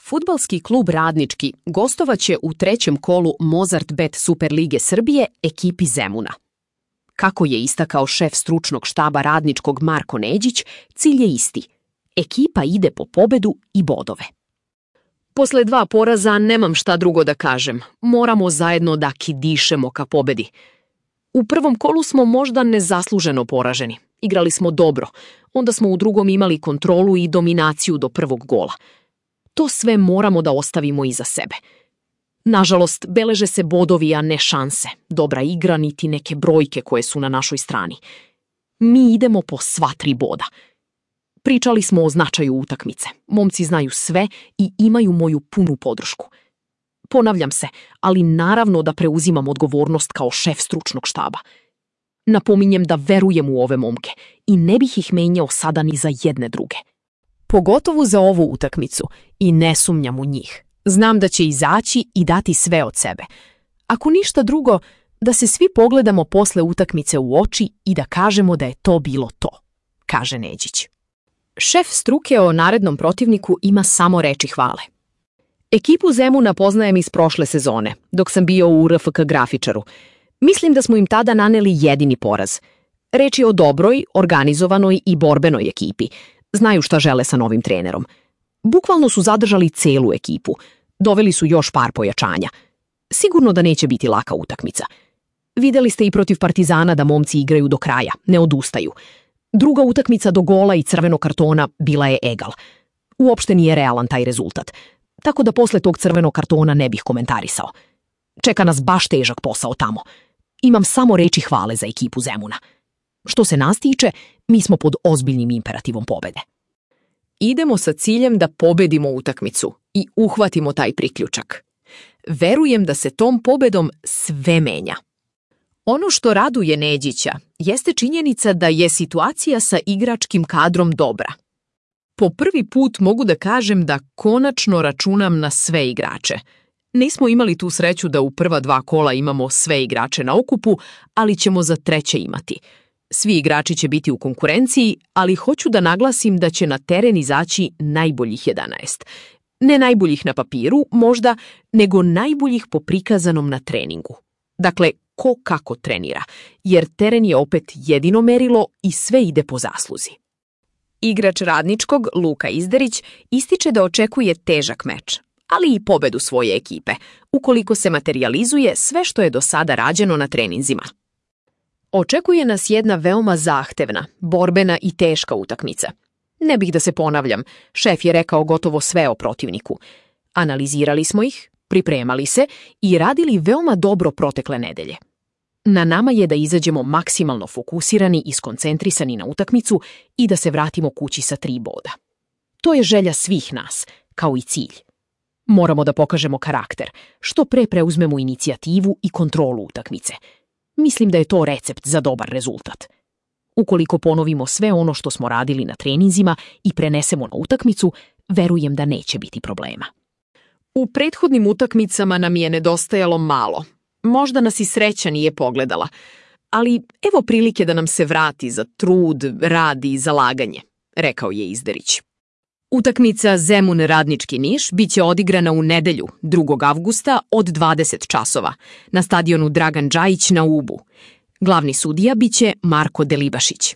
Fudbalski klub Radnički gostovaće u trećem kolu Mozart Bet Superlige Srbije ekipi Zemuna. Kako je istakao šef stručnog štaba Radničkog Marko Neđić, cilj je isti. Ekipa ide po pobedu i bodove. Posle 2 poraza nemam šta drugo da kažem. Moramo zajedno da kidišemo ka pobedi. U prvom kolu smo možda nezasluženo poraženi. Igrali smo dobro. Onda smo u drugom imali kontrolu i dominaciju do prvog gola. To sve moramo da ostavimo iza sebe. Nažalost, beleže se bodovi, a ne šanse. Dobra igra, niti neke brojke koje su na našoj strani. Mi idemo po sva 3 boda. Pričali smo o značaju utakmice. Momci znaju sve i imaju moju punu podršku. Ponavljam se, ali naravno da preuzimam odgovornost kao šef stručnog štaba. Napominjem da verujem u ove momke i ne bih ih menjao sada ni za jedne druge. Pogotovo za ovu utakmicu i ne sumnjam u njih. Znam da će izaći i dati sve od sebe. Ako ništa drugo, da se svi pogledamo posle utakmice u oči i da kažemo da je to bilo to, kaže Neđić. Šef struke o narednom protivniku ima samo reči hvale. Ekipu Zemuna poznajem iz prošle sezone, dok sam bio u RFK Grafičaru. Mislim da smo im tada naneli jedini poraz. Reč je o dobroj, organizovanoj i borbenoj ekipi. Znaju šta žele sa novim trenerom. Bukvalno su zadržali celu ekipu. Doveli su još par pojačanja. Sigurno da neće biti laka utakmica. Videli ste i protiv Partizana da momci igraju do kraja, ne odustaju. Druga utakmica do gola i crvenog kartona bila je egal. Uopšte nije realan taj rezultat. Tako da posle tog crvenog kartona ne bih komentarisao. Čeka nas baš težak posao tamo. Imam samo reči hvale za ekipu Zemuna. Što se nas tiče, mi smo pod ozbiljnim imperativom pobede. Idemo sa ciljem da pobedimo utakmicu i uhvatimo taj priključak. Verujem da se tom pobedom sve menja. Ono što raduje Neđića jeste činjenica da je situacija sa igračkim kadrom dobra. Po prvi put mogu da kažem da konačno računam na sve igrače. Nismo imali tu sreću da u prva 2 kola imamo sve igrače na okupu, ali ćemo za treće imati. Svi igrači će biti u konkurenciji, ali hoću da naglasim da će na teren izaći najboljih 11. Ne najboljih na papiru, možda, nego najboljih po prikazanom na treningu. Dakle, ko kako trenira, jer teren je opet jedino merilo i sve ide po zasluzi. Igrač Radničkog, Luka Izderić, ističe da očekuje težak meč, ali i pobedu svoje ekipe, ukoliko se materijalizuje sve što je do sada rađeno na treninzima. Očekuje nas jedna veoma zahtevna, borbena i teška utakmica. Ne bih da se ponavljam, šef je rekao gotovo sve o protivniku. Analizirali smo ih, pripremali se i radili veoma dobro protekle nedelje. Na nama je da izađemo maksimalno fokusirani i skoncentrisani na utakmicu i da se vratimo kući sa 3 boda. To je želja svih nas, kao i cilj. Moramo da pokažemo karakter, što pre preuzmemo inicijativu i kontrolu utakmice. Mislim da je to recept za dobar rezultat. Ukoliko ponovimo sve ono što smo radili na treninzima i prenesemo na utakmicu, verujem da neće biti problema. U prethodnim utakmicama nam je nedostajalo malo. Možda nas i sreća nije pogledala. Ali evo prilike da nam se vrati za trud, rad i zalaganje, rekao je Izderić. Utakmica Zemun Radnički Niš biće odigrana u nedelju, 2. avgusta od 20 časova, na stadionu Dragan Džajić na Ubu. Glavni sudija biće Marko Delibašić.